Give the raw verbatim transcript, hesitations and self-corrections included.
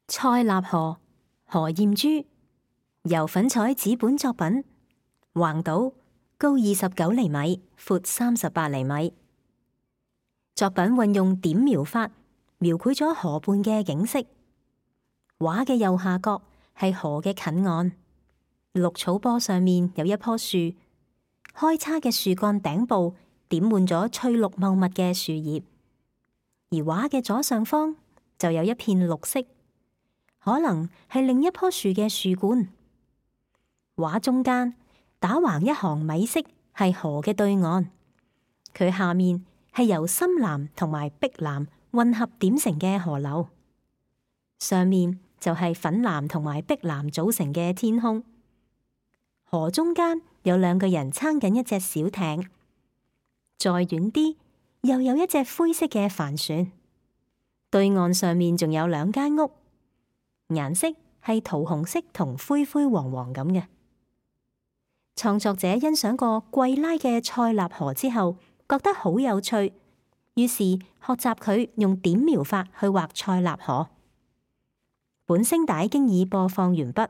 塞納河，何艷珠，由粉彩紙本作品，橫島，高二十九厘米，闊三十八厘米。作品運用點描法，描繪咗河畔嘅景色。畫嘅右下角係河嘅近岸，綠草坡上面有一棵樹，開叉嘅樹幹頂部點滿咗翠綠茂密嘅樹葉，而畫嘅左上方就有一片綠色，可能係另一棵樹嘅樹冠。畫中間打橫一行米色係河嘅對岸，佢下面係由深藍同埋碧藍混合點成嘅河流，上面就係粉藍同埋碧藍組成嘅天空。河中間有兩個人撐緊一隻小艇，再遠啲又有一隻灰色嘅帆船。對岸上面仲有兩間屋，顏色係桃紅色同灰灰黃黃咁嘅。創作者欣賞過桂拉嘅塞納河之後，覺得好有趣，於是學習佢用點描法去畫塞納河。本聲帶經已播放完畢。